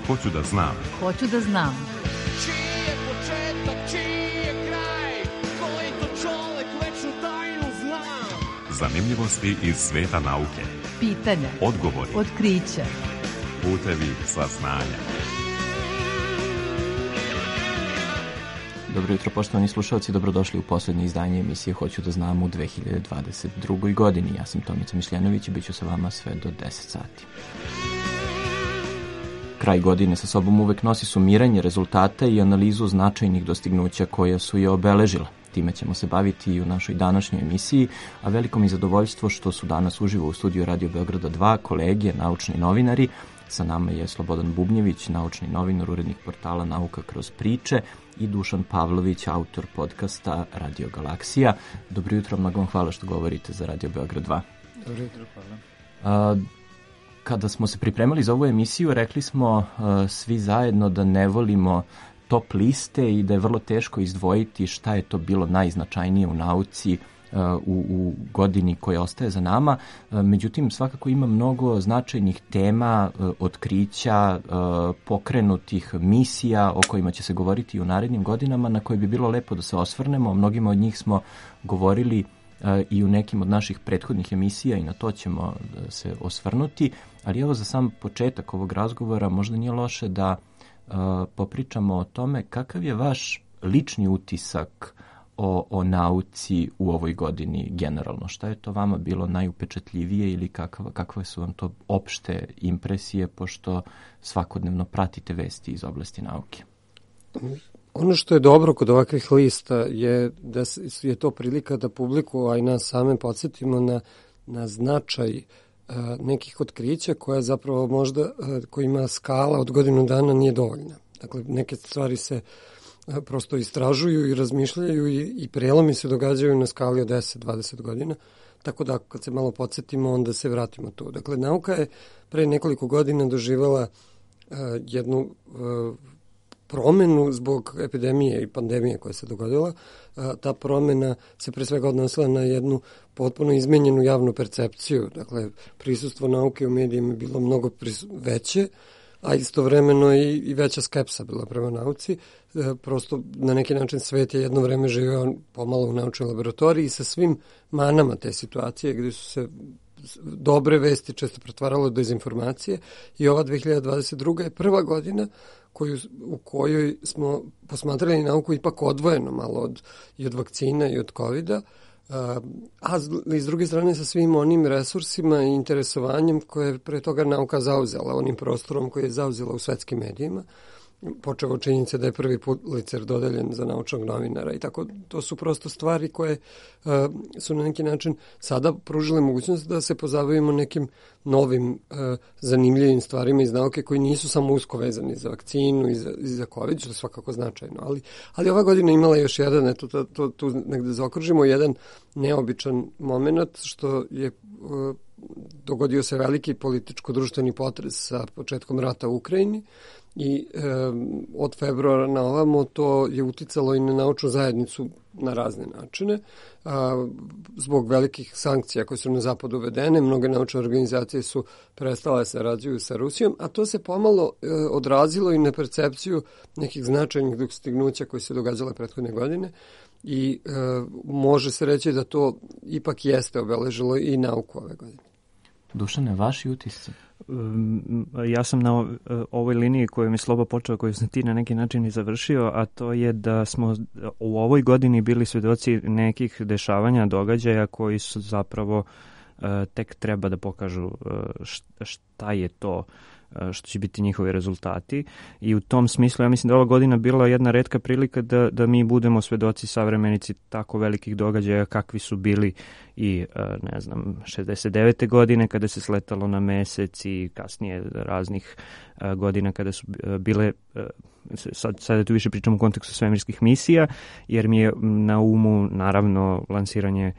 Hoću da znam. Hoću da znam. Čiji je početak, čiji je kraj, koji to čovek večnu tajnu zna. Zanimljivosti iz sveta nauke. Pitanja, odgovori, otkrića, putevi saznanja. Dobro jutro, poštovani slušalci, dobrodošli u poslednje izdanje emisije Hoću da znam u 2022. godini. Ja sam Tomica Mišljenović i bit ću sa vama sve do 10 sati. Kraj godine sa sobom uvek nosi sumiranje rezultata i analizu značajnih dostignuća koja su je obeležila. Time ćemo se baviti i u našoj današnjoj emisiji, a veliko mi zadovoljstvo što su danas uživo u studiju Radio Beograda 2 kolege, naučni novinari. Sa nama je Slobodan Bubnjević, naučni novinar, urednik portala Nauka kroz priče, i Dušan Pavlović, autor podcasta Radio Galaksija. Dobro jutro, mnogo vam hvala što govorite za Radio Beograd 2. Dobro jutro, hvala. Kada smo se pripremali za ovu emisiju, rekli smo svi zajedno da ne volimo top liste i da je vrlo teško izdvojiti šta je to bilo najznačajnije u nauci u godini koja ostaje za nama. Međutim, svakako ima mnogo značajnih tema, otkrića, pokrenutih misija o kojima će se govoriti u narednim godinama, na koje bi bilo lepo da se osvrnemo. Mnogima od njih smo govorili i u nekim od naših prethodnih emisija i na to ćemo se osvrnuti. Ali evo, za sam početak ovog razgovora možda nije loše da popričamo o tome kakav je vaš lični utisak o nauci u ovoj godini generalno. Šta je to vama bilo najupečatljivije ili kakve su vam to opšte impresije, pošto svakodnevno pratite vesti iz oblasti nauke? Ono što je dobro kod ovakvih lista je da je to prilika da publiku, a i nas same podsjetimo na značaj nekih otkrića koja zapravo možda, kojima skala od godinu dana nije dovoljna. Dakle, neke stvari se prosto istražuju i razmišljaju i prelomi se događaju na skali od 10-20 godina, tako da kad se malo podsjetimo, onda se vratimo tu. Dakle, nauka je pre nekoliko godina doživjela jednu promenu zbog epidemije i pandemije koja se dogodila. Ta promena se pre svega odnosila na jednu potpuno izmenjenu javnu percepciju. Dakle, prisustvo nauke u medijima je bilo mnogo veće, a istovremeno i veća skepsa bila prema nauci. Prosto na neki način svet je jedno vreme živeo pomalo u naučnoj laboratoriji sa svim manama te situacije gdje su se dobre vesti često pretvaralo dezinformacije, i ova 2022. je prva godina u kojoj smo posmatrali nauku ipak odvojeno malo od vakcina i od COVID-a, a s druge strane sa svim onim resursima i interesovanjem koje je pre toga nauka zauzela, onim prostorom koji je zauzela u svetskim medijima, počeo od činjenice da je prvi Pulitzer dodeljen za naučnog novinara i tako. To su prosto stvari koje su na neki način sada pružile mogućnost da se pozabavimo nekim novim zanimljivim stvarima iz nauke koji nisu samo usko vezani za vakcinu i za COVID, što je svakako značajno. Ali ova godina imala još jedan, tu negde zaokružimo, jedan neobičan moment, što je dogodio se veliki političko-društveni potres sa početkom rata u Ukrajini, i od februara na ovamo to je uticalo i na naučnu zajednicu na razne načine. Zbog velikih sankcija koje su na zapadu uvedene, mnoge naučne organizacije su prestale se sarađuju sa Rusijom, a to se pomalo odrazilo i na percepciju nekih značajnih dostignuća koji se događale prethodne godine, i može se reći da to ipak jeste obeležilo i nauku ove godine. Dušane, vaši utisci? Ja sam na ovoj liniji koju mi Slobo počeo, koju sam ti na neki način i završio, a to je da smo u ovoj godini bili svedoci nekih dešavanja, događaja koji su zapravo tek treba da pokažu šta je to što će biti njihovi rezultati, i u tom smislu ja mislim da ova godina bila jedna retka prilika da mi budemo svedoci, savremenici tako velikih događaja kakvi su bili i 69. godine kada se sletalo na mesec, i kasnije raznih godina kada su bile, sada tu više pričamo u kontekstu svemirskih misija, jer mi je na umu naravno lansiranje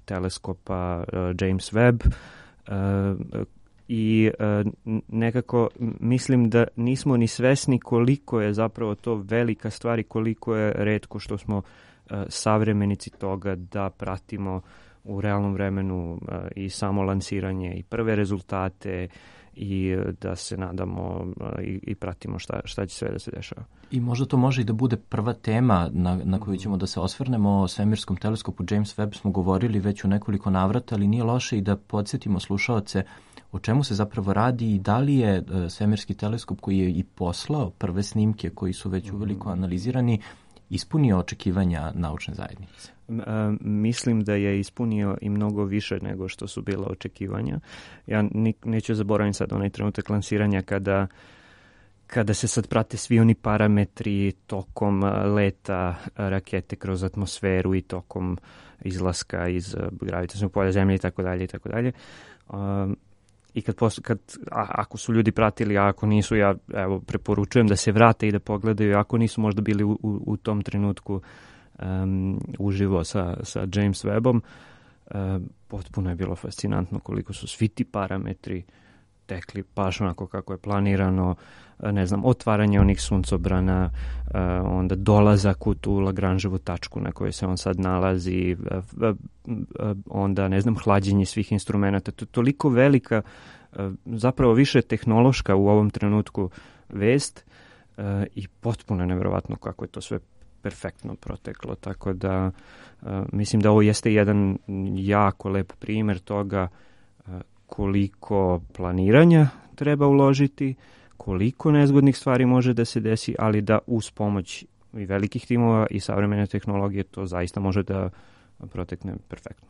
teleskopa James Webb, i nekako mislim da nismo ni svesni koliko je zapravo to velika stvar i koliko je retko što smo savremenici toga da pratimo u realnom vremenu i samo lansiranje i prve rezultate i da se nadamo i pratimo šta će sve da se dešava. I možda to može i da bude prva tema na koju ćemo da se osvrnemo. O svemirskom teleskopu James Webb smo govorili već u nekoliko navrata, ali nije loše i da podsjetimo slušaoce o čemu se zapravo radi i da li je svemirski teleskop koji je i poslao prve snimke koji su već uveliko analizirani ispunio očekivanja naučne zajednice. Mislim da je ispunio i mnogo više nego što su bila očekivanja. Ja neću zaboraviti sad onaj trenutak lansiranja kada se sad prate svi oni parametri tokom leta rakete kroz atmosferu i tokom izlaska iz gravitacionog polja Zemlje i tako dalje i tako dalje. I ako su ljudi pratili, a ako nisu, ja preporučujem da se vrate i da pogledaju, ako nisu možda bili u tom trenutku uživo sa James Webbom, potpuno je bilo fascinantno koliko su svi ti parametri tekli baš onako kako je planirano, ne znam, otvaranje onih suncobrana, onda dolazak u tu Lagrangeovu tačku na kojoj se on sad nalazi, onda, ne znam, hlađenje svih instrumenta. To je toliko velika, zapravo više tehnološka u ovom trenutku vest i potpuno nevjerovatno kako je to sve perfektno proteklo. Tako da mislim da ovo jeste jedan jako lep primjer toga koliko planiranja treba uložiti, koliko nezgodnih stvari može da se desi, ali da uz pomoć i velikih timova i savremene tehnologije to zaista može da protekne perfektno.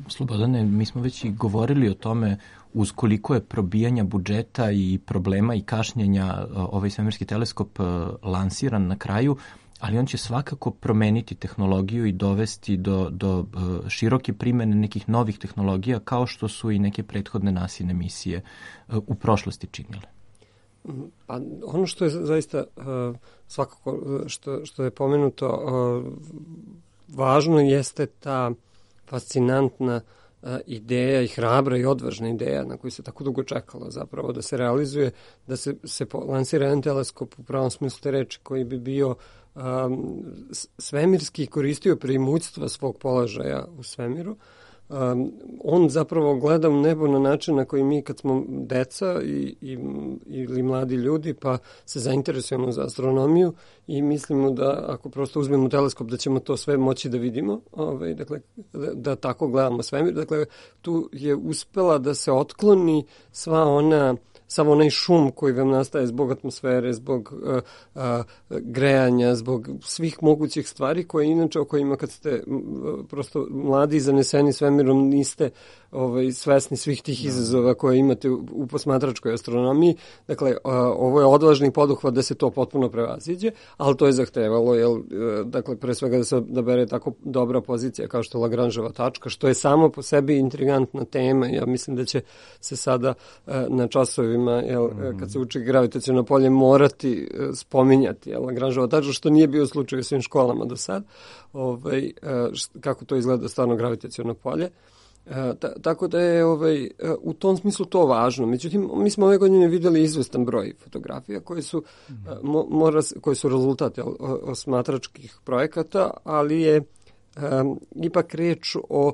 Slobodane, mi smo već i govorili o tome uz koliko je probijanja budžeta i problema i kašnjenja ovaj svemirski teleskop lansiran na kraju, ali on će svakako promeniti tehnologiju i dovesti do široke primene nekih novih tehnologija, kao što su i neke prethodne NASA-ine misije u prošlosti činile. Pa ono što je zaista svakako što je pomenuto važno jeste ta fascinantna ideja i hrabra i odvažna ideja na koju se tako dugo čekalo zapravo da se realizuje, da se lansira jedan teleskop u pravom smislu te reči koji bi bio svemirski koristio preimutstva svog položaja u svemiru. On zapravo gleda u nebo na način na koji mi kad smo deca ili mladi ljudi pa se zainteresujemo za astronomiju i mislimo da ako prosto uzmemo teleskop da ćemo to sve moći da vidimo, dakle, da tako gledamo svemir. Dakle, tu je uspela da se otkloni sav onaj šum koji vam nastaje zbog atmosfere, zbog grejanja, zbog svih mogućih stvari koje inače o kojima kad ste prosto mladi i zaneseni svemirom niste svesni svih tih izazova koje imate u posmatračkoj astronomiji. Dakle, ovo je odvažni poduhvat da se to potpuno prevaziđe, ali to je zahtevalo, dakle, pre svega da se odabere tako dobra pozicija kao što je Lagrangeova tačka, što je samo po sebi intrigantna tema. Ja mislim da će se sada na časovima, kad se uči gravitaciono polje, morati spominjati Lagrangeova tačka, što nije bio slučaj u svim školama do sad, kako to izgleda stvarno gravitaciono polje. Tako da je u tom smislu to važno. Međutim, mi smo ove godine videli izvestan broj fotografija koje su rezultat osmatračkih projekata, ali je ipak reč o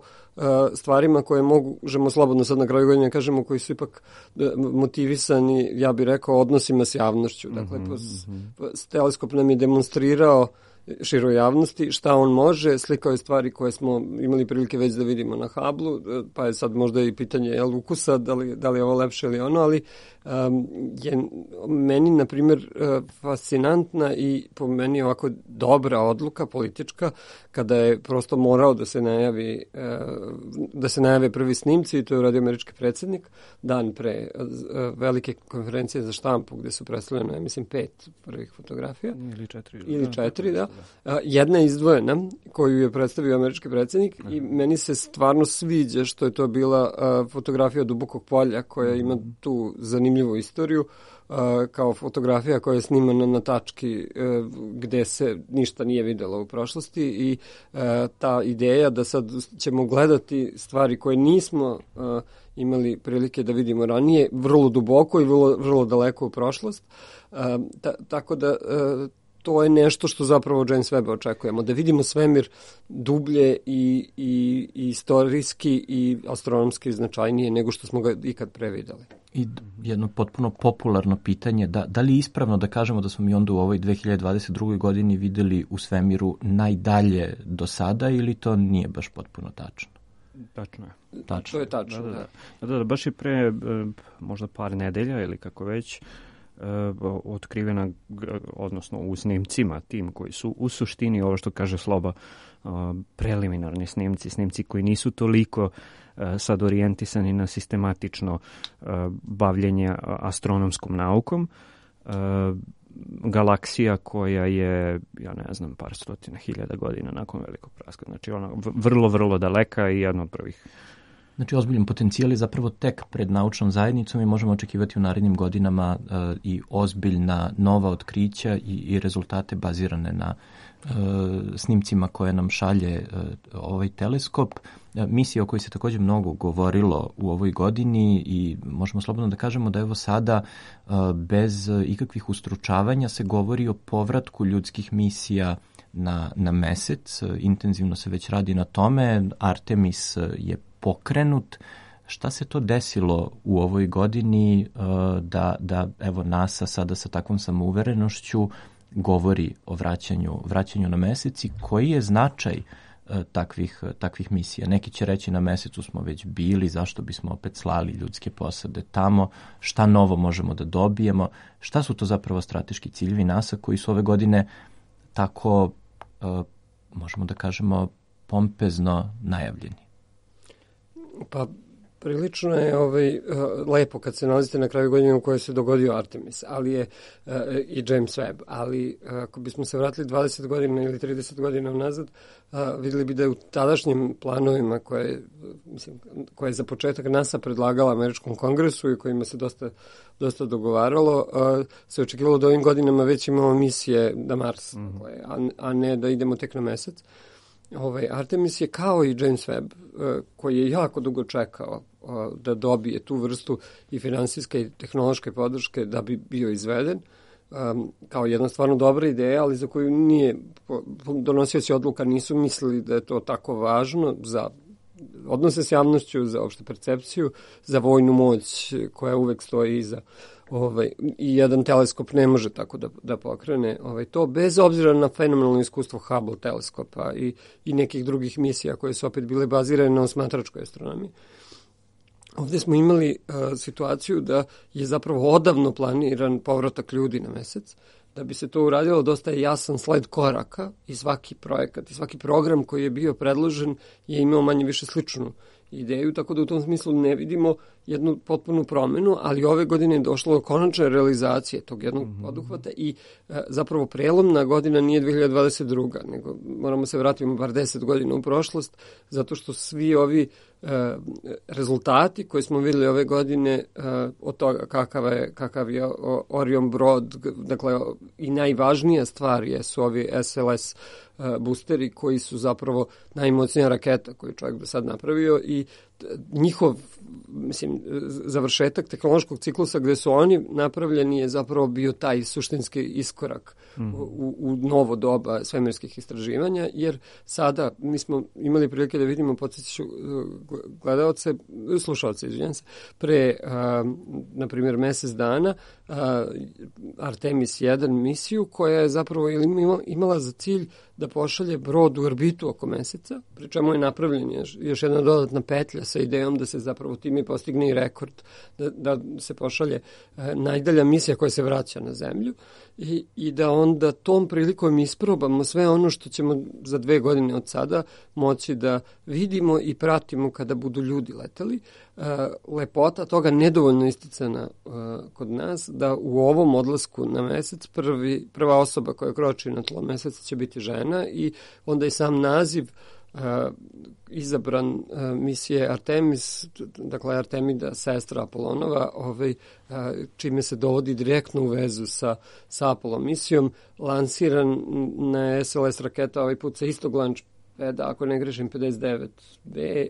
stvarima koje možemo slobodno sad na kraju godine kažemo, koji su ipak motivisani, ja bih rekao, odnosima s javnošću. Dakle, teleskop nam je demonstrirao široj javnosti šta on može, slikao je stvari koje smo imali prilike već da vidimo na Hubblu, pa je sad možda i pitanje ukusa, da li je ovo lepše ili ono, ali je meni, na primjer, fascinantna i po meni ovako dobra odluka politička, kada je prosto morao da se najave prvi snimci, i to je uradio američki predsjednik dan pre velike konferencije za štampu gde su predstavljene, mislim, 5 prvih fotografija. Ili 4, da. Jedna je izdvojena koju je predstavio američki predsjednik i meni se stvarno sviđa što je to bila fotografija od dubokog polja koja ima tu zanimljivu istoriju, kao fotografija koja je snimana na tački gde se ništa nije videlo u prošlosti i ta ideja da sad ćemo gledati stvari koje nismo imali prilike da vidimo ranije, vrlo duboko i vrlo daleko u prošlost. Tako da to je nešto što zapravo James Webb očekujemo, da vidimo svemir dublje i istorijski i astronomski značajnije nego što smo ga ikad prevideli. I jedno potpuno popularno pitanje, da li je ispravno da kažemo da smo mi onda u ovoj 2022. godini videli u svemiru najdalje do sada ili to nije baš potpuno tačno? Tačno je. To je tačno, da. Baš je pre možda par nedelja ili kako već otkrivena, odnosno u snimcima tim koji su u suštini ovo što kaže Sloba preliminarni snimci koji nisu toliko sad orijentisani na sistematično bavljenje astronomskom naukom. Galaksija koja je, ja ne znam, par stotina hiljada godina nakon velikog praska. Znači ona vrlo, vrlo daleka i jedna od prvih. Znači ozbiljan potencijal je zapravo tek pred naučnom zajednicom i možemo očekivati u narednim godinama i ozbiljna nova otkrića i rezultate bazirane na snimcima koje nam šalje ovaj teleskop. Misija o kojoj se također mnogo govorilo u ovoj godini i možemo slobodno da kažemo da evo sada bez ikakvih ustručavanja se govori o povratku ljudskih misija na mesec. Intenzivno se već radi na tome. Artemis je pokrenut. Šta se to desilo u ovoj godini da evo NASA sada sa takvom samouverenošću govori o vraćanju na mesec i koji je značaj takvih misija? Neki će reći na mesecu smo već bili, zašto bismo opet slali ljudske posade tamo, šta novo možemo da dobijemo, šta su to zapravo strateški ciljevi NASA koji su ove godine tako, možemo da kažemo, pompezno najavljeni? Pa prilično je lepo kad se nalazite na kraju godine u kojoj se dogodio Artemis, ali je i James Webb, ali ako bismo se vratili 20 godina ili 30 godina nazad, vidjeli bi da je u tadašnjim planovima koje je za početak NASA predlagala Američkom kongresu i kojima se dosta dogovaralo, se očekivalo da ovim godinama već imamo misije na Mars, a ne da idemo tek na mesec. Artemis je kao i James Webb, koji je jako dugo čekao da dobije tu vrstu i finansijske i tehnološke podrške da bi bio izveden, kao jedna stvarno dobra ideja, ali za koju nije donosioci odluka nisu mislili da je to tako važno za odnose s javnošću, za opštu percepciju, za vojnu moć koja uvek stoji iza. I jedan teleskop ne može tako da pokrene to, bez obzira na fenomenalno iskustvo Hubble teleskopa i nekih drugih misija koje su opet bile bazirane na osmatračkoj astronomiji. Ovdje smo imali situaciju da je zapravo odavno planiran povratak ljudi na mesec. Da bi se to uradilo, dosta je jasan sled koraka i svaki projekat i svaki program koji je bio predložen je imao manje više sličnu ideju, tako da u tom smislu ne vidimo jednu potpunu promenu, ali ove godine je došlo do konačne realizacije tog jednog poduhvata i zapravo prelomna godina nije 2022. nego moramo se vratiti bar 10 godina u prošlost, zato što svi ovi rezultati koje smo vidjeli ove godine od toga kakav je Orion brod, dakle i najvažnija stvar su ovi SLS boosteri koji su zapravo najmoćnija raketa koju čovjek do sad napravio i njihov završetak tehnološkog ciklusa gde su oni napravljeni je zapravo bio taj suštinski iskorak u novo doba svemirskih istraživanja, jer sada mi smo imali prilike da vidimo, podsjeću slušalce, pre, na primjer, mesec dana Artemis 1 misiju koja je zapravo imala za cilj da pošalje brod u orbitu oko meseca, pri čemu je napravljen još jedna dodatna petlja sa idejom da se zapravo time postigne i rekord, da se pošalje najdalja misija koja se vraća na zemlju i da onda tom prilikom isprobamo sve ono što ćemo za 2 godine od sada moći da vidimo i pratimo kada budu ljudi leteli. Lepota toga nedovoljno isticana kod nas, da u ovom odlasku na mesec prva osoba koja kroči na tlo meseca će biti žena i onda i sam naziv izabran misije Artemis, dakle Artemida, sestra Apolonova, čime se dovodi direktno u vezu sa Apollo misijom, lansiran na SLS raketa ovaj put sa istog launch ako ne grešim, 59B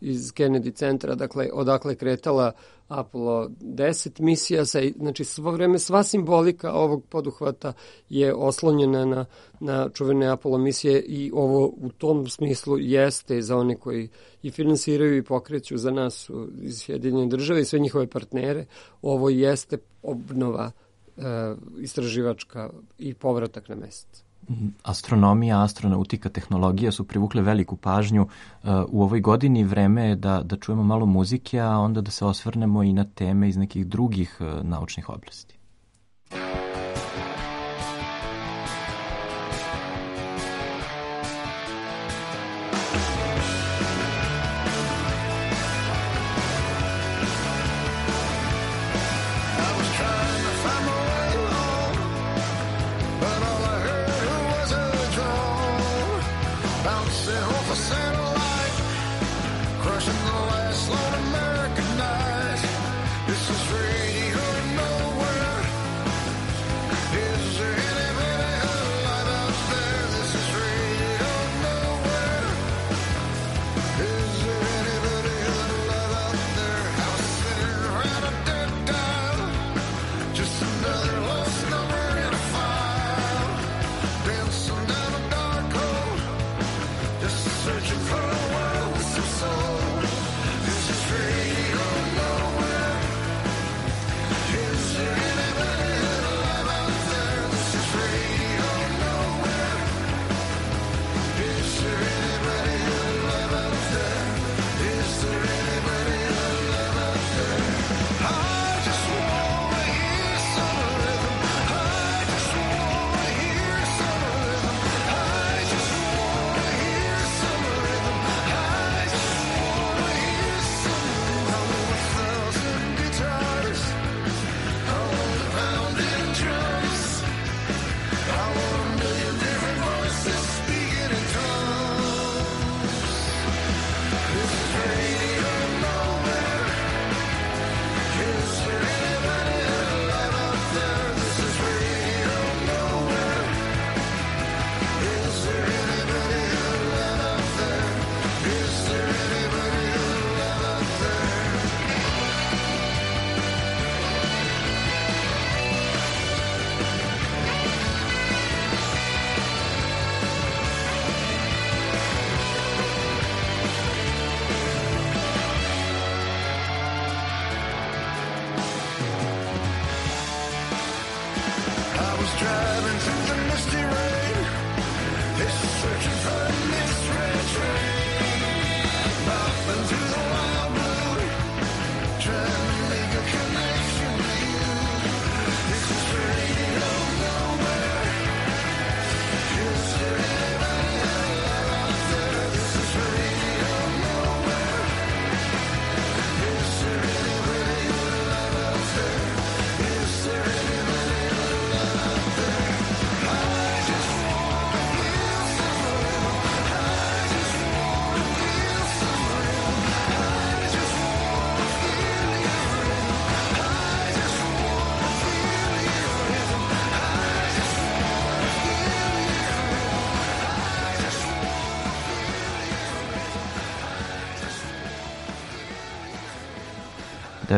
iz Kennedy centra, dakle, odakle je kretala Apollo 10 misija. Znači, svo vreme sva simbolika ovog poduhvata je oslonjena na čuvene Apollo misije i ovo u tom smislu jeste za one koji i finansiraju i pokreću za nas iz Sjedinjene države i sve njihove partnere. Ovo jeste obnova istraživačka i povratak na mesec. Astronomija, astronautika, tehnologija su privukle veliku pažnju u ovoj godini. Vreme je da čujemo malo muzike, a onda da se osvrnemo i na teme iz nekih drugih naučnih oblasti.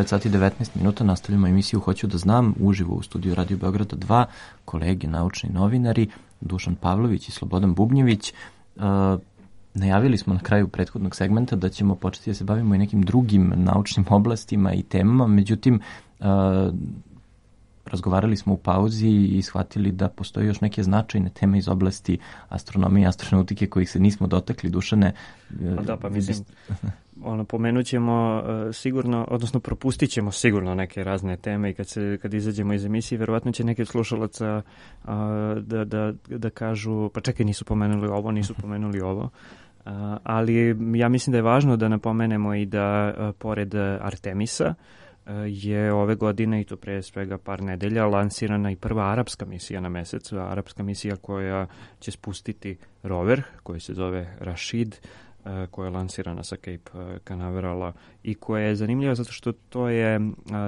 Sati 19 minuta, nastavljamo emisiju Hoću da znam, uživo u studiju Radio Beograda 2, kolege naučni novinari Dušan Pavlović i Slobodan Bubnjević. Najavili smo na kraju prethodnog segmenta da ćemo početi da se bavimo i nekim drugim naučnim oblastima i temama, međutim razgovarali smo u pauzi i shvatili da postoje još neke značajne teme iz oblasti astronomije i astronautike kojih se nismo dotakli. Dušane, da, pa mislim, pomenut ćemo sigurno, odnosno propustit ćemo sigurno neke razne teme i kad izađemo iz emisije, verovatno će neki od slušalaca da kažu, pa čekaj, nisu pomenuli ovo, ali ja mislim da je važno da napomenemo i da pored Artemisa je ove godine, i to pre svega par nedelja, lansirana i prva arapska misija na mesecu, arapska misija koja će spustiti rover koji se zove Rashid, koja je lansirana sa Cape Canaverala i koja je zanimljiva zato što to je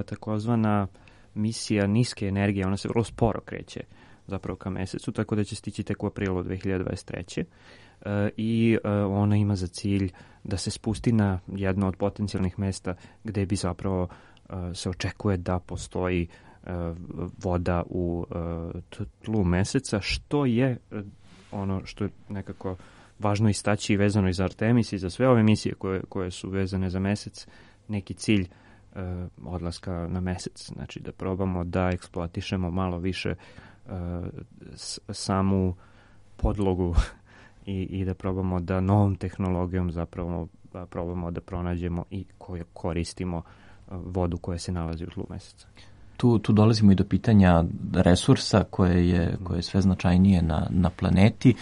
takozvana misija niske energije, ona se vrlo sporo kreće zapravo ka mesecu, tako da će stići tek u aprilu 2023. i ona ima za cilj da se spusti na jedno od potencijalnih mesta gde bi zapravo se očekuje da postoji voda u tlu meseca, što je ono što je nekako važno istaći i vezano i za Artemis i za sve ove misije koje su vezane za mesec, neki cilj odlaska na mesec. Znači da probamo da eksploatišemo malo više samu podlogu i da probamo da novom tehnologijom zapravo probamo da pronađemo i koristimo vodu koja se nalazi u tlu meseca. Tu dolazimo i do pitanja resursa koje je sve značajnije na planeti.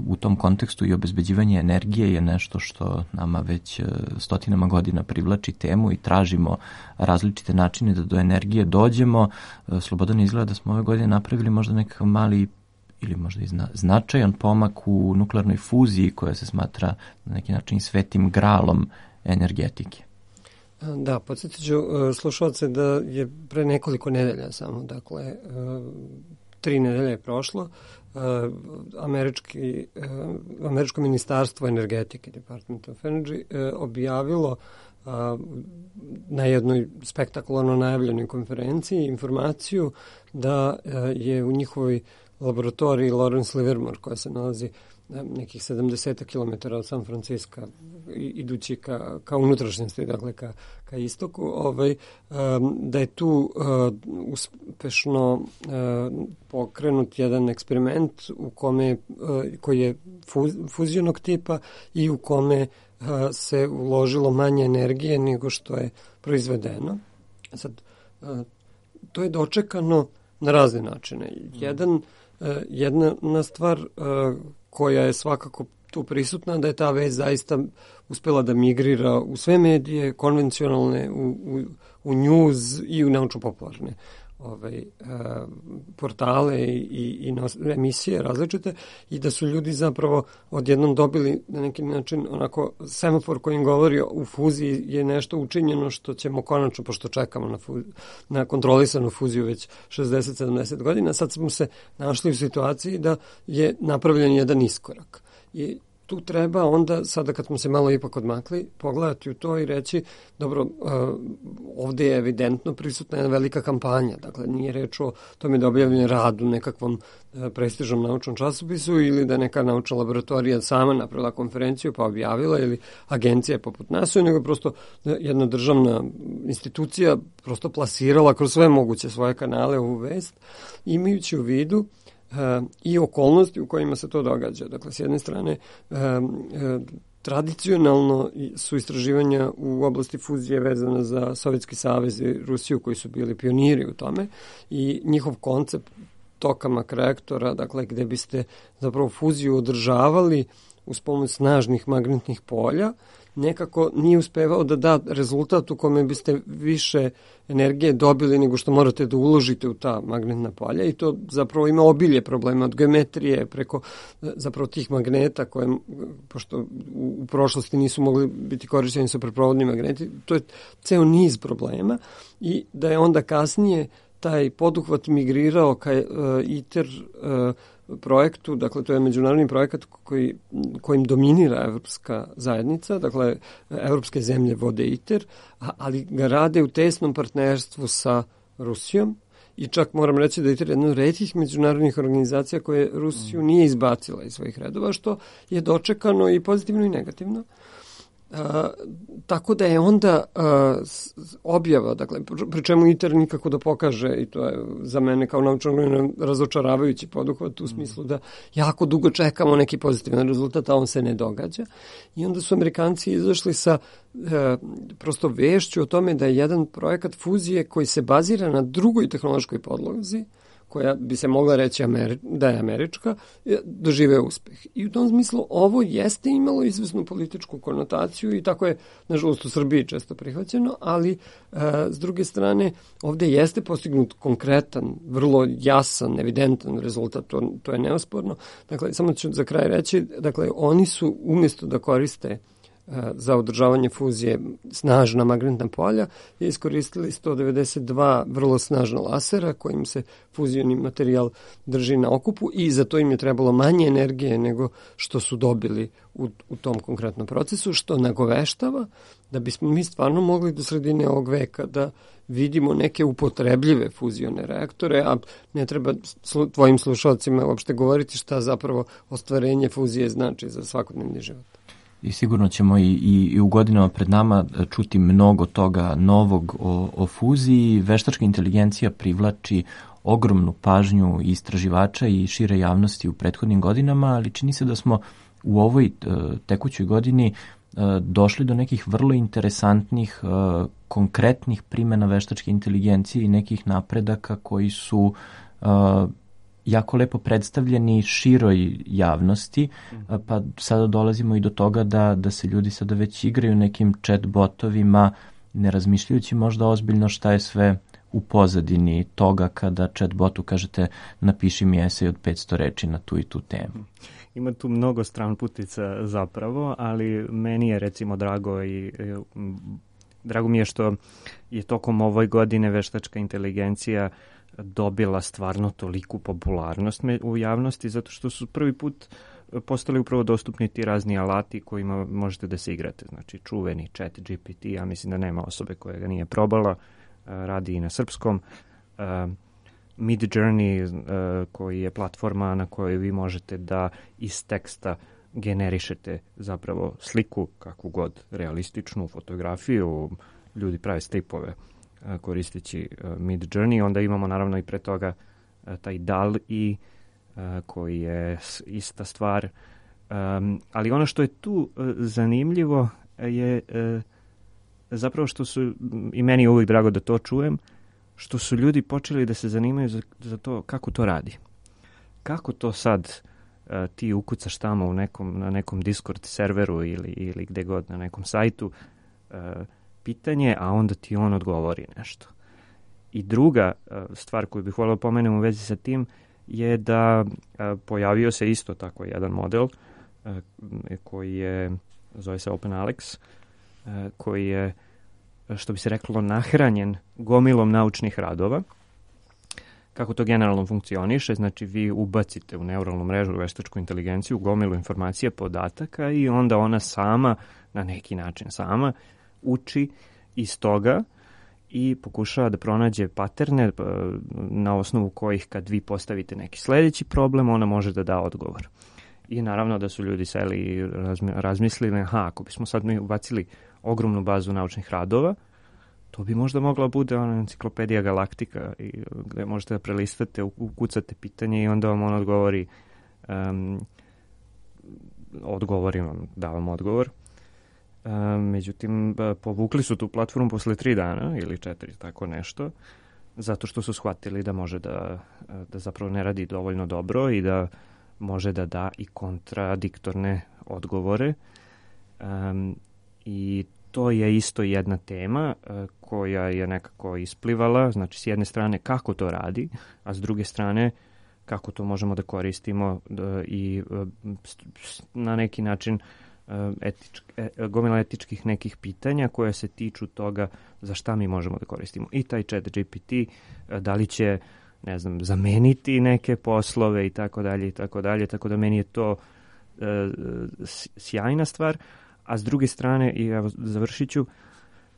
U tom kontekstu i obezbeđivanje energije je nešto što nama već stotinama godina privlači temu i tražimo različite načine da do energije dođemo. Slobodan izgleda da smo ove godine napravili možda nekakav mali ili možda i značajan pomak u nuklearnoj fuziji koja se smatra na neki način svetim gralom energetike. Da, podsjetit ću slušalce da je pre nekoliko nedelja samo, dakle 3 nedelje je prošlo, američko ministarstvo energetike, Department of Energy, objavilo na jednoj spektakularno najavljenoj konferenciji informaciju da je u njihovoj laboratoriji Lawrence Livermore, koja se nalazi nekih 70 km od San Francisca, idući ka unutrašnjosti, dakle ka istoku, da je tu uspešno pokrenut jedan eksperiment koji je fuzionog tipa i u kome se uložilo manje energije nego što je proizvedeno. Sad, to je dočekano na razne načine. Jedna stvar koja je svakako tu prisutna, da je ta vest zaista uspela da migrira u sve medije, konvencionalne, u news i u naučno-popularne portale i emisije različite, i da su ljudi zapravo odjednom dobili na neki način onako semafor koji im govori u fuziji je nešto učinjeno što ćemo konačno, pošto čekamo na kontrolisanu fuziju već 60-70 godina, sad smo se našli u situaciji da je napravljen jedan iskorak. I tu treba onda, sada kad smo se malo ipak odmakli, pogledati u to i reći, dobro, ovde je evidentno prisutna jedna velika kampanja, dakle nije reč o tome da objavljen rad u nekakvom prestižnom naučnom časopisu ili da neka naučna laboratorija sama napravila konferenciju pa objavila ili agencija poput NASA, nego prosto jedna državna institucija prosto plasirala kroz sve moguće svoje kanale ovu vest, imajući u vidu i okolnosti u kojima se to događa. Dakle, s jedne strane, tradicionalno su istraživanja u oblasti fuzije vezana za Sovjetski savez i Rusiju, koji su bili pioniri u tome, i njihov koncept toka makreaktora, dakle, gde biste zapravo fuziju održavali uz pomoć snažnih magnetnih polja, nekako nije uspevao da da rezultat u kome biste više energije dobili nego što morate da uložite u ta magnetna polja, i to zapravo ima obilje problema od geometrije preko zapravo tih magneta koje, pošto u prošlosti nisu mogli biti korišćeni supraprovodni magneti, to je ceo niz problema, i da je onda kasnije taj poduhvat migrirao ka ITER projektu, dakle to je međunarodni projekat kojim dominira evropska zajednica, dakle evropske zemlje vode ITER, ali ga rade u tesnom partnerstvu sa Rusijom, i čak moram reći da je ITER jedna od retkih međunarodnih organizacija koje Rusiju nije izbacila iz svojih redova, što je dočekano i pozitivno i negativno. Tako da je onda objava, dakle, pri čemu ITER nikako da pokaže, i to je za mene kao naučno razočaravajući poduhvat u smislu da jako dugo čekamo neki pozitivan rezultat, a on se ne događa. I onda su Amerikanci izašli sa prosto vešću o tome da je jedan projekat fuzije koji se bazira na drugoj tehnološkoj podlozi, koja bi se mogla reći da je američka, doživeo uspeh. I u tom smislu ovo jeste imalo izvesnu političku konotaciju i tako je, nažalost, u Srbiji često prihvaćeno, ali s druge strane ovde jeste postignut konkretan, vrlo jasan, evidentan rezultat, to je neosporno. Dakle, samo ću za kraj reći, dakle, oni su umjesto da koriste za održavanje fuzije snažna magnetna polja i iskoristili 192 vrlo snažna lasera kojim se fuzioni materijal drži na okupu i za to im je trebalo manje energije nego što su dobili u tom konkretnom procesu, što nagoveštava da bismo mi stvarno mogli do sredine ovog veka da vidimo neke upotrebljive fuzione reaktore, a ne treba tvojim slušalcima uopšte govoriti šta zapravo ostvarenje fuzije znači za svakodnevni život. I sigurno ćemo i u godinama pred nama čuti mnogo toga novog o fuziji. Veštačka inteligencija privlači ogromnu pažnju istraživača i šire javnosti u prethodnim godinama, ali čini se da smo u ovoj tekućoj godini došli do nekih vrlo interesantnih, konkretnih primjena veštačke inteligencije i nekih napredaka koji su jako lepo predstavljeni široj javnosti, pa sada dolazimo i do toga da se ljudi sada već igraju nekim chat botovima, ne razmišljajući možda ozbiljno šta je sve u pozadini toga kada chat botu kažete napiši mi esej od 500 reči na tu i tu temu. Ima tu mnogo stranputica zapravo, ali meni je recimo drago mi je što je tokom ovoj godine veštačka inteligencija dobila stvarno toliku popularnost u javnosti, zato što su prvi put postali upravo dostupni ti razni alati kojima možete da se igrate. Znači čuveni chat GPT, ja mislim da nema osobe koja ga nije probala, radi i na srpskom. Midjourney, koji je platforma na kojoj vi možete da iz teksta generišete zapravo sliku, kakvu god, realističnu fotografiju, ljudi prave stripove koristeći Midjourney. Onda imamo naravno i pre toga taj DALL-E koji je ista stvar. Ali ono što je tu zanimljivo je zapravo što su, i meni je uvijek drago da to čujem, što su ljudi počeli da se zanimaju za to kako to radi. Kako to sad ti ukucaš tamo na nekom Discord serveru ili gde god, na nekom sajtu, pitanje, a onda ti on odgovori nešto. I druga stvar koju bih volio pomenem u vezi sa tim je da pojavio se isto tako jedan model koji je, zove se OpenAlex, koji je, što bi se reklo, nahranjen gomilom naučnih radova. Kako to generalno funkcioniše, znači vi ubacite u neuralnu mrežu veštačku inteligenciju gomilu informacija, podataka i onda ona sama, na neki način sama, uči iz toga i pokušava da pronađe paterne na osnovu kojih kad vi postavite neki sledeći problem, ona može da da odgovor. I naravno da su ljudi seli i razmislili, ako bismo sad mi ubacili ogromnu bazu naučnih radova, to bi možda mogla bude ona enciklopedija galaktika gde možete da prelistate, ukucate pitanje i onda vam on odgovori vam, da vam odgovor. Međutim, povukli su tu platformu posle 3 dana ili 4, tako nešto, zato što su shvatili da može da zapravo ne radi dovoljno dobro i da može da da i kontradiktorne odgovore. I to je isto jedna tema koja je nekako isplivala, znači s jedne strane kako to radi, a s druge strane kako to možemo da koristimo i na neki način gomila etičkih nekih pitanja koja se tiču toga za šta mi možemo da koristimo. I taj chat GPT, da li će, ne znam, zameniti neke poslove i tako dalje, tako da meni je to sjajna stvar. A s druge strane, i evo završit ću,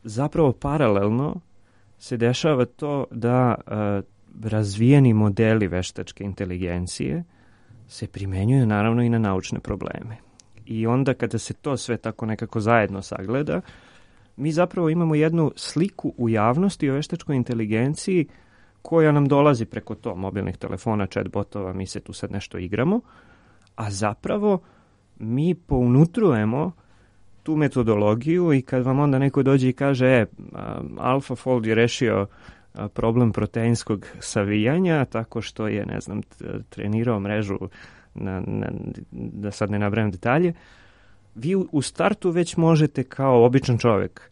zapravo paralelno se dešava to da razvijeni modeli veštačke inteligencije se primenjuju naravno i na naučne probleme. I onda kada se to sve tako nekako zajedno sagleda, mi zapravo imamo jednu sliku u javnosti o veštačkoj inteligenciji koja nam dolazi preko to mobilnih telefona, chatbotova, mi se tu sad nešto igramo, a zapravo mi pounutrujemo tu metodologiju i kad vam onda neko dođe i kaže AlphaFold je rešio problem proteinskog savijanja tako što je, ne znam, trenirao mrežu da sad ne nabrajam detalje, vi u startu već možete kao običan čovjek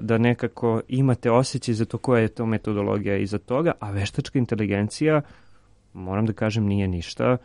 da nekako imate osjećaj za to koja je to metodologija iza toga, a veštačka inteligencija, moram da kažem, nije ništa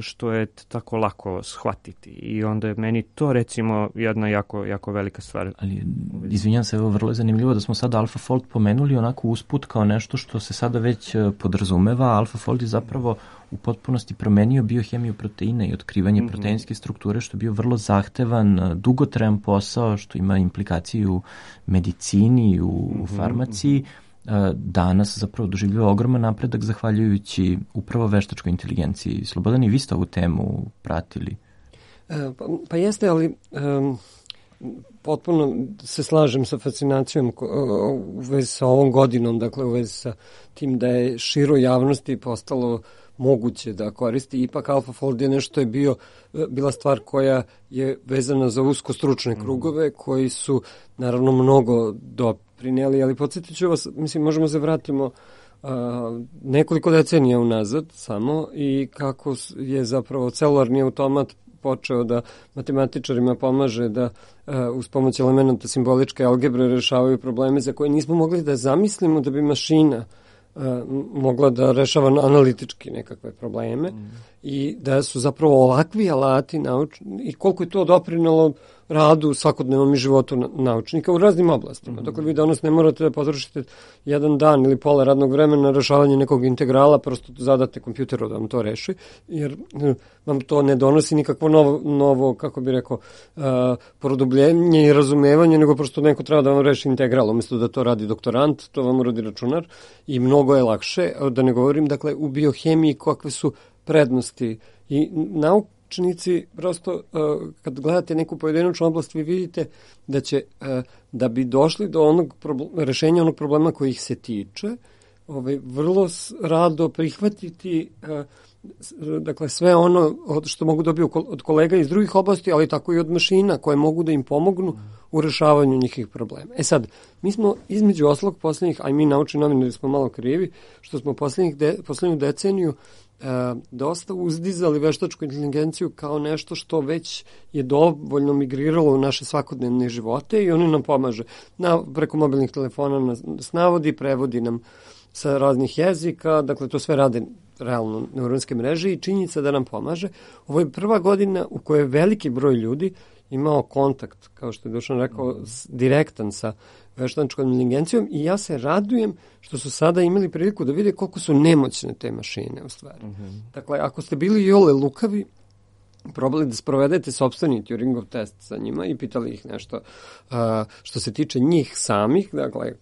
što je tako lako shvatiti. I onda je meni to recimo jedna jako velika stvar. Ali, izvinjam se, evo, vrlo je zanimljivo da smo sada AlphaFold pomenuli onako usput kao nešto što se sada već podrazumeva. AlphaFold je zapravo u potpunosti promenio biohemiju proteina i otkrivanje proteinske strukture, što je bio vrlo zahtevan, dugotrajan posao, što ima implikaciju u medicini, u farmaciji. Danas zapravo doživljava ogroman napredak zahvaljujući upravo veštačkoj inteligenciji. Slobodan, i vi ste ovu temu pratili? Pa jeste, ali potpuno se slažem sa fascinacijom u vezi sa ovom godinom, dakle u vezi sa tim da je široj javnosti postalo moguće da koristi. Ipak AlphaFold je nešto je bila stvar koja je vezana za usko stručne krugove koji su naravno mnogo doprineli, ali podsjetit ću vas, mislim, možemo se vratimo nekoliko decenija unazad samo i kako je zapravo celularni automat počeo da matematičarima pomaže da uz pomoć elementa simboličke algebre rešavaju probleme za koje nismo mogli da zamislimo da bi mašina mogla da rešava analitički nekakve probleme i da su zapravo ovakvi alati i koliko je to doprinelo radu, svakodnevnom i životu naučnika u raznim oblastima. Dakle, vi danas ne morate da potrošite jedan dan ili pola radnog vremena na rešavanje nekog integrala, prosto zadate kompjuteru da vam to reši, jer vam to ne donosi nikakvo novo kako bi rekao, produbljenje i razumevanje, nego prosto neko treba da vam reši integral, umjesto da to radi doktorant, to vam uradi računar i mnogo je lakše, da ne govorim, dakle, u biohemiji kakve su prednosti i naučnici, prosto kad gledate neku pojedinačnu oblast, vi vidite da će, da bi došli do rešenja onog problema koji ih se tiče, vrlo rado prihvatiti dakle sve ono što mogu dobiti od kolega iz drugih oblasti, ali tako i od mašina koje mogu da im pomognu u rešavanju njihovih problema. E sad, mi smo između oslog poslednjih, a i mi naučni novinari smo malo krivi, što smo poslednju deceniju dosta uzdizali veštačku inteligenciju kao nešto što već je dovoljno migriralo u naše svakodnevne živote i oni nam pomaže. Preko mobilnih telefona nas navodi, prevodi nam sa raznih jezika, dakle to sve rade realno neuronske mreže i činjenica da nam pomaže. Ovo je prva godina u kojoj je veliki broj ljudi imao kontakt, kao što je Dušan rekao, direktan sa veštačkom inteligencijom i ja se radujem što su sada imali priliku da vide koliko su nemoćne te mašine u stvari. Dakle, ako ste bili iole lukavi, probali da sprovedete sopstveni Turingov test sa njima i pitali ih nešto što se tiče njih samih, dakle,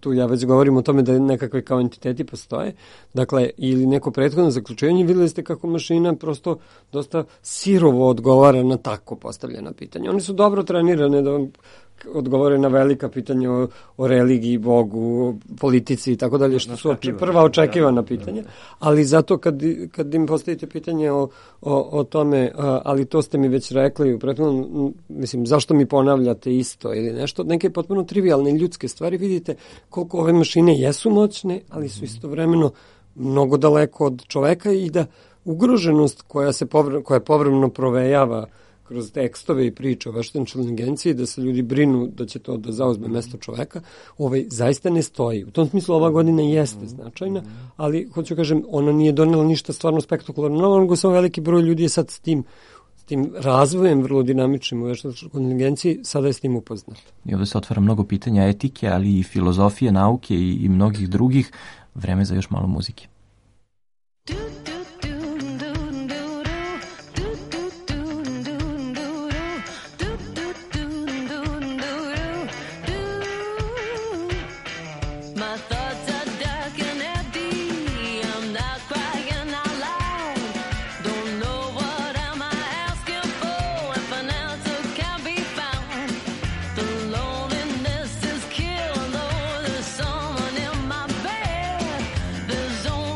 tu ja već govorim o tome da nekakve kao entiteti postoje, dakle, ili neko prethodno zaključivanje, videli ste kako mašina prosto dosta sirovo odgovara na tako postavljena pitanja. Oni su dobro trenirane da odgovore na velika pitanja o religiji, Bogu, politici i tako dalje, što su prva očekivana pitanja, ali zato kad im postavite pitanje o tome, ali to ste mi već rekli u prethodnom, mislim, zašto mi ponavljate isto ili nešto, neke potpuno trivialne ljudske stvari, vidite koliko ove mašine jesu moćne, ali su istovremeno mnogo daleko od čoveka i da ugroženost koja povremeno provejava kroz tekstove i priče o veštačkoj inteligenciji, da se ljudi brinu da će to da zauzme mesto čoveka, zaista ne stoji. U tom smislu ova godina jeste značajna, ali hoću kažem, ona nije donela ništa stvarno spektakularno, nego samo veliki broj ljudi je sad s tim razvojem vrlo dinamičnim u veštačkoj inteligenciji, sada je s tim upoznat. I ovdje se otvara mnogo pitanja etike, ali i filozofije, nauke i mnogih drugih. Vreme za još malo muzike. There's only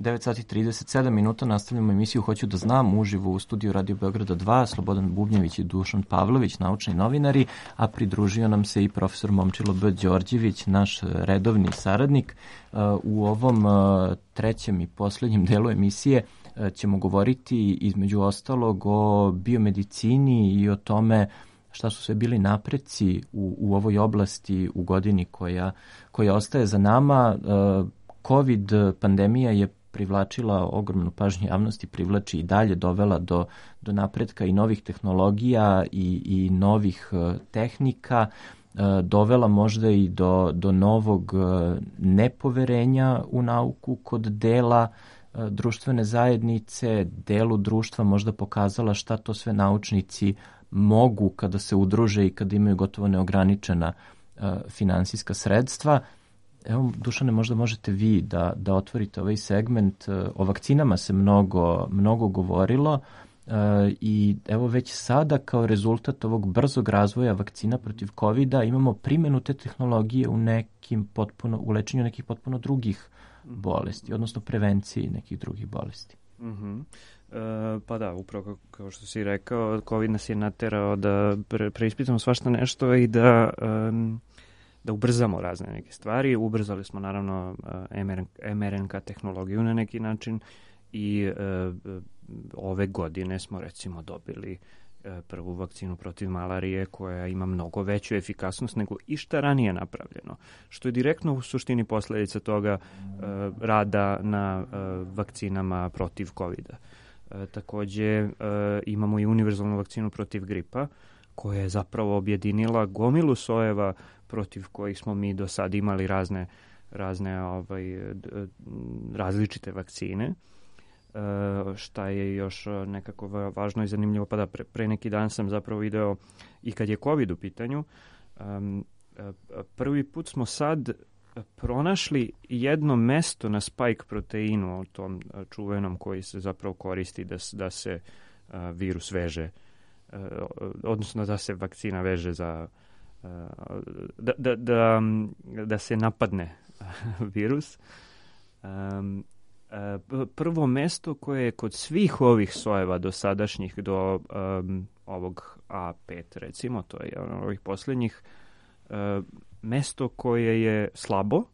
9 sati 37 minuta, nastavljamo emisiju Hoću da znam, uživo u studiju Radio Beograda 2, Slobodan Bubnjević i Dušan Pavlović, naučni novinari, a pridružio nam se i profesor Momčilo B. Đorđević, naš redovni saradnik. U ovom trećem i poslednjem delu emisije ćemo govoriti između ostalog o biomedicini i o tome šta su sve bili napreci u ovoj oblasti u godini koja ostaje za nama. COVID pandemija je privlačila ogromnu pažnju javnosti, privlači i dalje, dovela do napretka i novih tehnologija i novih tehnika, dovela možda i do novog nepoverenja u nauku kod dela društvene zajednice, delu društva možda pokazala šta to sve naučnici mogu kada se udruže i kada imaju gotovo neograničena finansijska sredstva. Evo, Dušane, možda možete vi da otvorite ovaj segment. O vakcinama se mnogo govorilo i evo već sada kao rezultat ovog brzog razvoja vakcina protiv COVID-a imamo primjenu te tehnologije u lečenju nekih potpuno drugih bolesti, odnosno prevenciji nekih drugih bolesti. Pa da, upravo kao što si rekao, COVID nas je naterao da preispitamo svašta nešto i da ubrzamo razne neke stvari. Ubrzali smo naravno mRNK tehnologiju na neki način i ove godine smo recimo dobili prvu vakcinu protiv malarije koja ima mnogo veću efikasnost nego išta ranije napravljeno, što je direktno u suštini posljedica toga rada na vakcinama protiv COVID-a. Takođe imamo i univerzalnu vakcinu protiv gripa koja je zapravo objedinila gomilu sojeva protiv kojih smo mi do sad imali različite vakcine. Šta je još nekako važno i zanimljivo, pa da pre neki dan sam zapravo video i kad je COVID u pitanju, prvi put smo sad pronašli jedno mesto na spike proteinu, o tom čuvenom koji se zapravo koristi da se virus veže, odnosno da se vakcina veže za da se napadne virus. Prvo mesto koje je kod svih ovih sojeva dosadašnjih do ovog A5 recimo, to je ovih posljednjih, mesto koje je slabo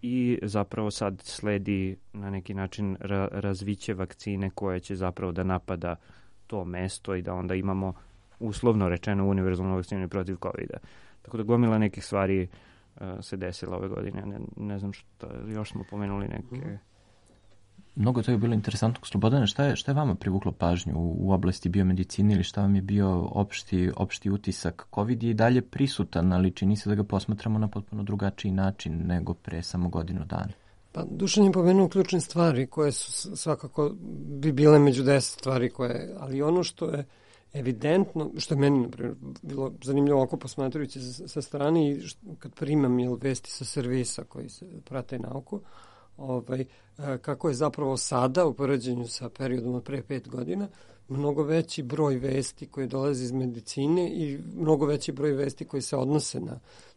i zapravo sad sledi na neki način razviće vakcine koje će zapravo da napada to mesto i da onda imamo uslovno rečeno univerzalnu vakcinu protiv COVID-a. Tako da gomila nekih stvari se desila ove godine. Ne znam što, još smo pomenuli neke... Mnogo to je bilo interesantno. Slobodane, šta je vama privuklo pažnju u oblasti biomedicine ili šta vam je bio opšti utisak? COVID je i dalje prisutan, ali čini se da ga posmatramo na potpuno drugačiji način nego pre samo godinu dana. Pa Dušan je pomenuo ključne stvari koje su svakako bi bile među 10 stvari ali ono što je evidentno, što je meni naprimjer bilo zanimljivo ovako posmatrujući sa strane i kad primam vesti sa servisa koji se prate nauku, kako je zapravo sada u poređenju sa periodom od pre 5 godina mnogo veći broj vesti koje dolaze iz medicine i mnogo veći broj vesti koji se odnose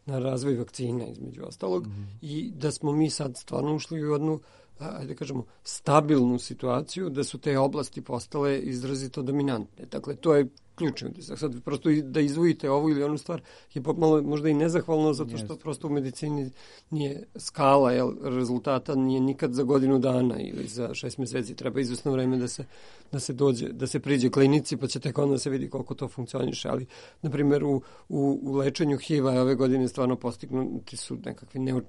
na razvoj vakcina između ostalog i da smo mi sad stvarno ušli u jednu ajde kažemo, stabilnu situaciju da su te oblasti postale izrazito dominantne. Dakle, to je ključni utisak. Sad prosto da izvojite ovu ili onu stvar je malo možda i nezahvalno zato što prosto u medicini nije skala rezultata nije nikad za godinu dana ili za 6 meseci. Treba izvesno vreme da se priđe klinici pa će tek onda se vidi koliko to funkcioniše. Ali, na primjer, u lečenju HIV-a ove godine stvarno postignuti su nekakvi,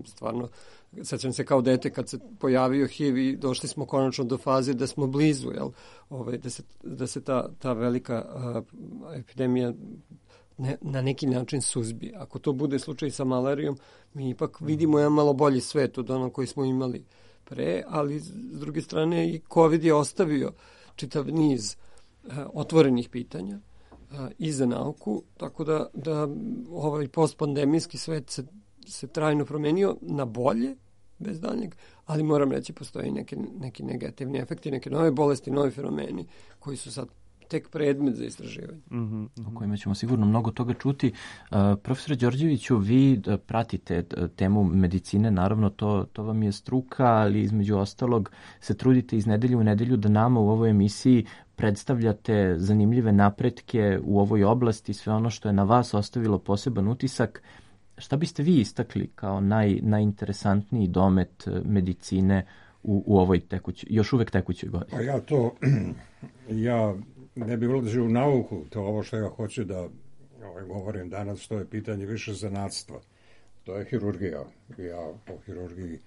stvarno, sećam se kao dete kad se pojavio HIV i došli smo konačno do faze da smo blizu, da se ta velika epidemija na neki način suzbije. Ako to bude slučaj sa malarijom, mi ipak vidimo jedan malo bolji svet od onog koji smo imali pre, ali s druge strane i COVID je ostavio čitav niz otvorenih pitanja i za nauku, tako da ovaj postpandemijski svet se trajno promenio na bolje, bez daljnjeg, ali moram reći postoje neki negativni efekti, neke nove bolesti, novi fenomeni koji su sad tek predmet za istraživanje. O kojima ćemo sigurno mnogo toga čuti. Profesore Đorđeviću, vi pratite temu medicine, naravno to vam je struka, ali između ostalog se trudite iz nedelje u nedelju da nama u ovoj emisiji predstavljate zanimljive napretke u ovoj oblasti, sve ono što je na vas ostavilo poseban utisak. Šta biste vi istakli kao najinteresantniji domet medicine u ovoj još uvek tekućoj godini? Pa ja ne bih ulazio u nauku, to ovo što ja hoću da govorim danas, to je pitanje više zanatstva. To je hirurgija. Ja o hirurgiji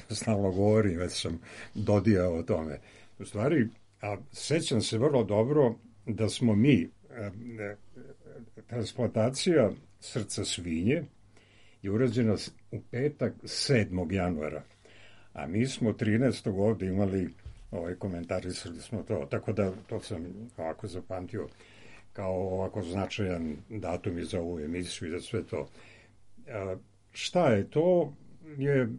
stalno govorim, već sam dodijao o tome. U stvari, sećam se vrlo dobro da smo mi, transplantacija srca svinje je urađena u petak 7. januara. A mi smo 13. ovdje imali, komentarisali smo to, tako da to sam ovako zapamtio kao ovako značajan datum i za ovu emisiju i za sve to. Šta je to? Je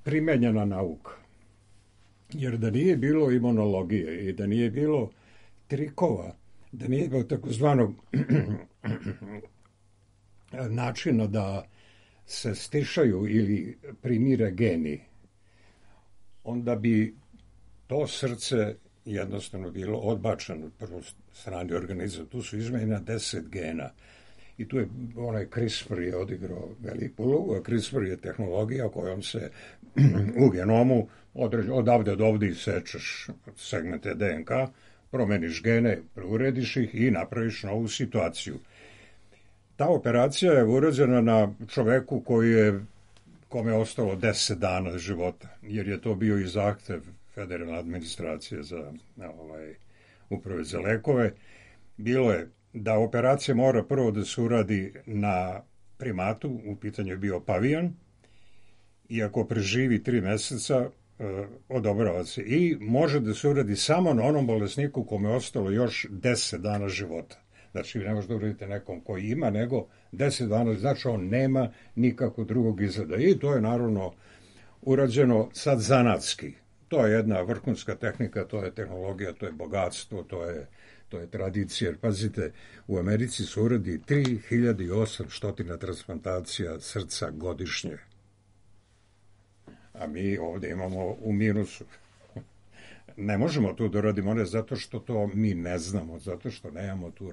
primenjena nauka. Jer da nije bilo imunologije i da nije bilo trikova, da nije bilo takozvanog načina da se stišaju ili primire geni, onda bi to srce jednostavno bilo odbačeno od prvoj strani organizma. Tu su izmenjena 10 gena. I tu je onaj CRISPR je odigrao veliku ulogu, a CRISPR je tehnologija kojom se u genomu odavde od ovdje isečeš segmente DNK, promeniš gene, preurediš ih i napraviš novu situaciju. Ta operacija je urađena na čoveku kome je ostalo 10 dana života, jer je to bio i zahtev federalne administracije za uprave za lekove. Bilo je da operacija mora prvo da se uradi na primatu, u pitanju je bio pavijan, i ako preživi 3 meseca, odobrava se. I može da se uradi samo na onom bolesniku kome je ostalo još 10 dana života. Znači, vi ne možete da uradite nekom koji ima, nego 10 dana, znači on nema nikakvog drugog izgleda. I to je naravno urađeno sad zanatski. To je jedna vrhunska tehnika, to je tehnologija, to je bogatstvo, to je tradicija. Jer, pazite, u Americi se uradi 3800 transplantacija srca godišnje. A mi ovdje imamo u minusu. Ne možemo to da radimo, ne zato što to mi ne znamo, zato što nemamo tu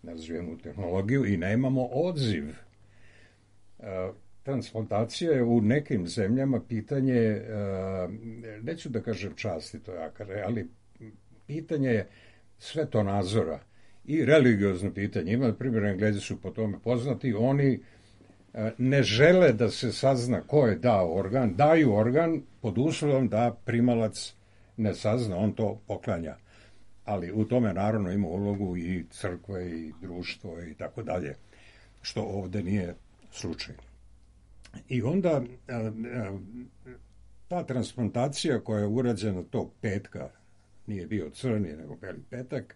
razvijenu tehnologiju i nemamo odziv. Transplantacija je u nekim zemljama pitanje, neću da kažem časti, to je ali pitanje je svetonazora i religiozno pitanje. Ima, na primjer, Englezi su po tome poznati, oni ne žele da se sazna ko je dao organ, daju organ pod uslovom da primalac ne sazna, on to poklanja. Ali u tome naravno ima ulogu i crkve i društvo i tako dalje, što ovdje nije slučaj. I onda ta transplantacija koja je urađena tog petka, nije bio crni nego beli petak,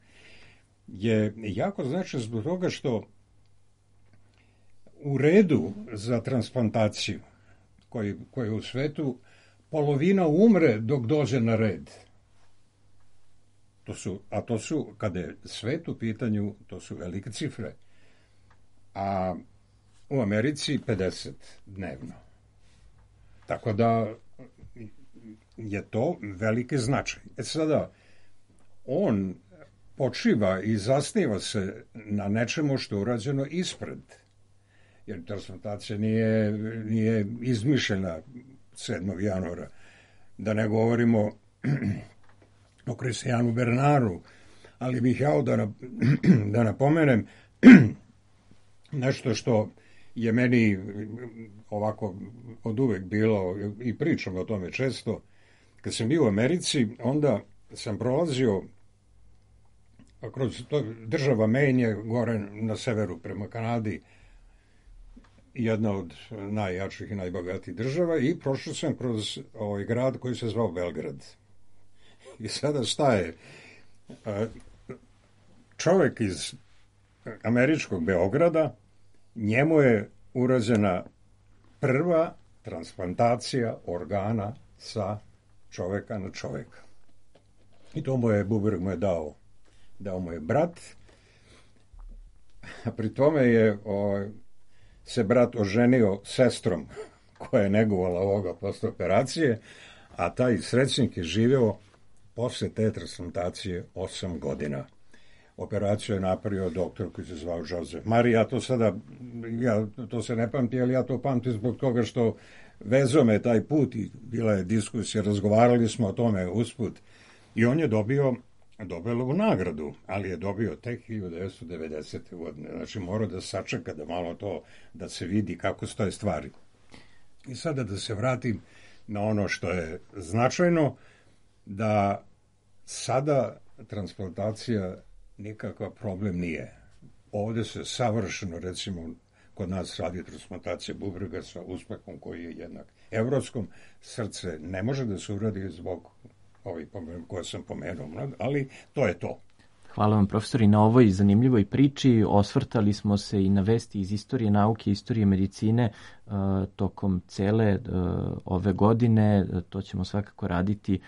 je jako značajna zbog toga što u redu za transplantaciju koji je u svetu, polovina umre dok dođe na red. To su, kada je svet u pitanju, to su velike cifre. A u Americi 50 dnevno. Tako da je to veliki značaj. Sada, on počiva i zasniva se na nečemu što je urađeno ispred. Jer transplantacija nije izmišljena 7. januara. Da ne govorimo o Kristijanu Bernaru, ali bih ja da napomenem nešto što je meni ovako od uvek bilo, i pričam o tome često. Kad sam bio u Americi, onda sam prolazio kroz država Maine je gore na severu prema Kanadi, jedna od najjačih i najbogatijih država, i prošao sam kroz ovaj grad koji se zvao Belgrad. I sada staje čovjek iz američkog Beograda, njemu je urađena prva transplantacija organa sa čovjeka na čovjeka. I to Bubreg mu je dao mu je brat, a pri tome je se brat oženio sestrom koja je negovala ovoga posle operacije, a taj srećnik je živeo posle te transplantacije 8 godina. Operaciju je napravio doktor koji se zvao Joseph Mari. Ja to se ne pamti, ali ja to pamtim zbog toga što vezao me taj put i bila je diskusija, razgovarali smo o tome usput. I on je dobio Nobelovu nagradu, ali je dobio tek 1990. godine. Znači mora da sačeka da malo to, da se vidi kako stoje stvari. I sada da se vratim na ono što je značajno, da sada transplantacija nikakav problem nije. Ovde se savršeno, recimo, kod nas radi transplantacija bubrega sa uspehom koji je jednak evropskom. Srce ne može da se uradi zbog ovih koje sam pomenuo, ali to je to. Hvala vam, profesori, na ovoj zanimljivoj priči. Osvrtali smo se i na vesti iz istorije nauke, istorije medicine tokom cele ove godine. To ćemo svakako raditi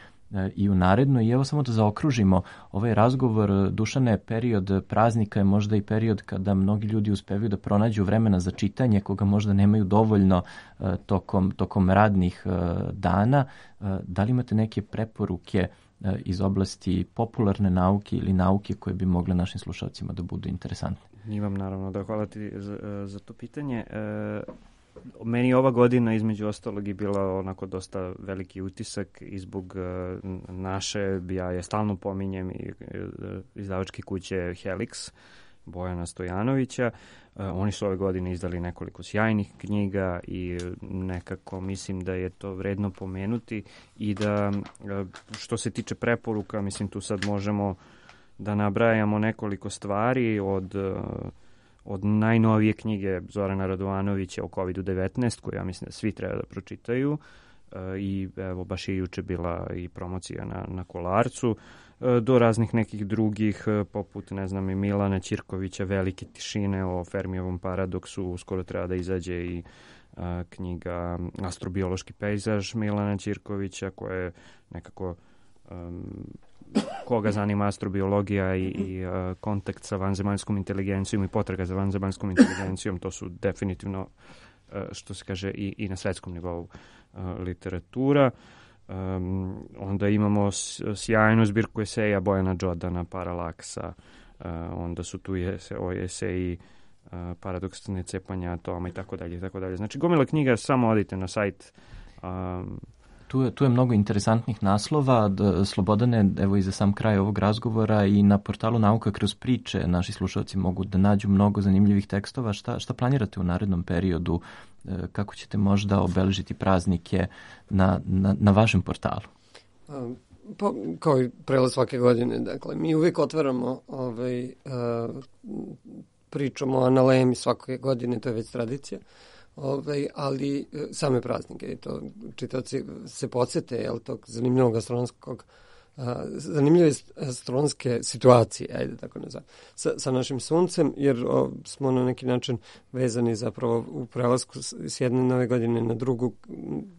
i u naredno. I evo samo da zaokružimo ovaj razgovor. Dušane, period praznika je možda i period kada mnogi ljudi uspevaju da pronađu vremena za čitanje, koga možda nemaju dovoljno tokom radnih dana. Da li imate neke preporuke iz oblasti popularne nauke ili nauke koje bi mogle našim slušalcima da budu interesantne? Imam naravno da hvala ti za to pitanje. Meni ova godina između ostalog je bila onako dosta veliki utisak i zbog naše, ja je stalno pominjem, izdavačke kuće Helix, Bojana Stojanovića. Oni su ove godine izdali nekoliko sjajnih knjiga i nekako mislim da je to vredno pomenuti i da što se tiče preporuka, mislim tu sad možemo da nabrajamo nekoliko stvari od najnovije knjige Zorana Radovanovića o COVID-19, koju ja mislim da svi treba da pročitaju, i evo baš je juče bila i promocija na Kolarcu, do raznih nekih drugih, poput, ne znam, i Milana Ćirkovića, Velike tišine o Fermijevom paradoksu, uskoro treba da izađe i knjiga Astrobiološki pejzaž Milana Ćirkovića, koja je nekako koga zanima astrobiologija i kontakt sa vanzemaljskom inteligencijom i potraga za vanzemaljskom inteligencijom, to su definitivno, što se kaže, i na svetskom nivou literatura. Onda imamo sjajnu zbirku eseja Bojana Džodana, Paralaksa, onda su tu eseji Paradoks necepanja atoma i tako dalje. Znači, gomila knjiga, samo odite na sajt. Tu je mnogo interesantnih naslova. Slobodane, evo i za sam kraj ovog razgovora, i na portalu Nauka kroz priče naši slušalci mogu da nađu mnogo zanimljivih tekstova. Šta planirate u narednom periodu? Kako ćete možda obeležiti praznike na vašem portalu? Pa, kao i prelaz svake godine, dakle, mi uvijek otvaramo pričamo o analemi svake godine, to je već tradicija. Ali same praznike, to čitaoci se podsjete tog zanimljivog zanimljive astronomske situacije, ajde tako nazvam, sa našim suncem, jer smo na neki način vezani zapravo u prelasku s jedne nove godine na drugu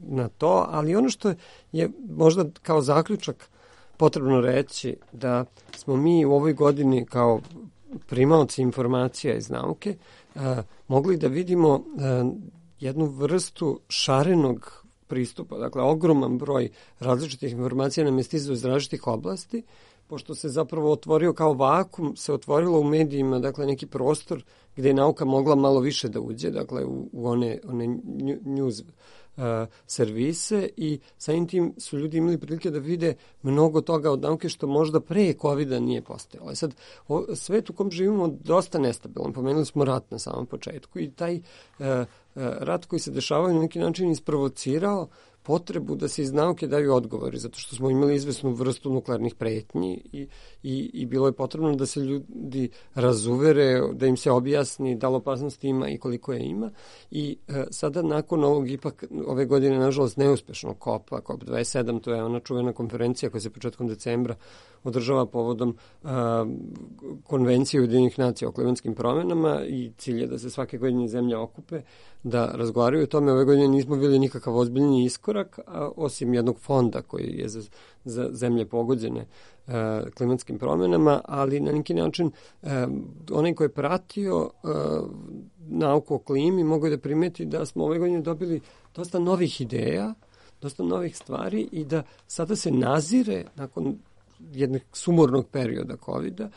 na to, ali ono što je možda kao zaključak potrebno reći, da smo mi u ovoj godini kao primaoci informacija iz nauke mogli da vidimo jednu vrstu šarenog pristupa. Dakle, ogroman broj različitih informacija nam je stizao iz različitih oblasti, pošto se zapravo otvorio kao vakum, se otvorilo u medijima, dakle, neki prostor gde je nauka mogla malo više da uđe, dakle, u one news servise, i samim tim su ljudi imali prilike da vide mnogo toga od nauke što možda pre COVID-a nije postojalo. Sad, svet u kom živimo dosta nestabilan. Pomenuli smo rat na samom početku i taj rat koji se dešavao na neki način isprovocirao potrebu da se iz nauke daju odgovori, zato što smo imali izvesnu vrstu nuklearnih pretnji i bilo je potrebno da se ljudi razuvere, da im se objasni da li opasnosti ima i koliko je ima. I sada nakon ovog, ipak ove godine, nažalost, neuspešnog COP27, to je ona čuvena konferencija koja se početkom decembra održava povodom konvencije Ujedinjenih nacija o klimatskim promenama, i cilj je da se svake godine zemlje okupe, da razgovaraju o tome. Ove godine nismo bili nikakav ozbiljni iskorak, iskorak, osim jednog fonda koji je za zemlje pogođene klimatskim promjenama, ali na neki način onaj ko je pratio nauku o klimi mogu da primeti da smo ove godine dobili dosta novih ideja, dosta novih stvari i da sada se nazire, nakon jednog sumornog perioda COVID-a,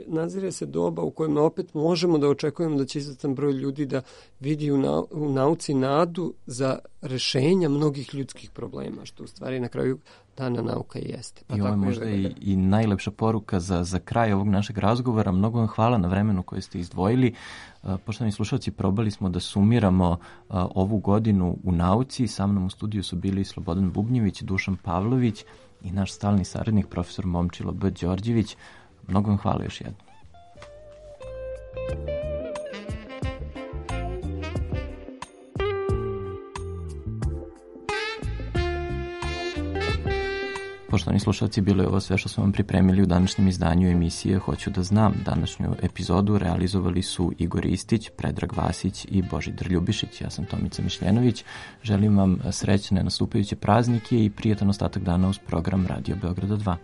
nazire se doba u kojem opet možemo da očekujemo da će izvestan broj ljudi da vidi u nauci nadu za rešenja mnogih ljudskih problema, što u stvari na kraju dana nauka i jeste. I ovo je možda i najlepša poruka za kraj ovog našeg razgovora. Mnogo vam hvala na vremenu koje ste izdvojili. Poštovani slušalci, probali smo da sumiramo ovu godinu u nauci. Sa mnom u studiju su bili Slobodan Bubnjević, Dušan Pavlović i naš stalni saradnik, profesor Momčilo B. Đorđević. Mnogo vam hvala još jednom. Poštovani slušalci, bilo je ovo sve što smo vam pripremili u današnjem izdanju emisije Hoću da znam. Današnju epizodu realizovali su Igor Istić, Predrag Vasić i Božidar Ljubišić. Ja sam Tomica Mišljenović. Želim vam srećne nastupajuće praznike i prijatan ostatak dana uz program Radio Beograda 2.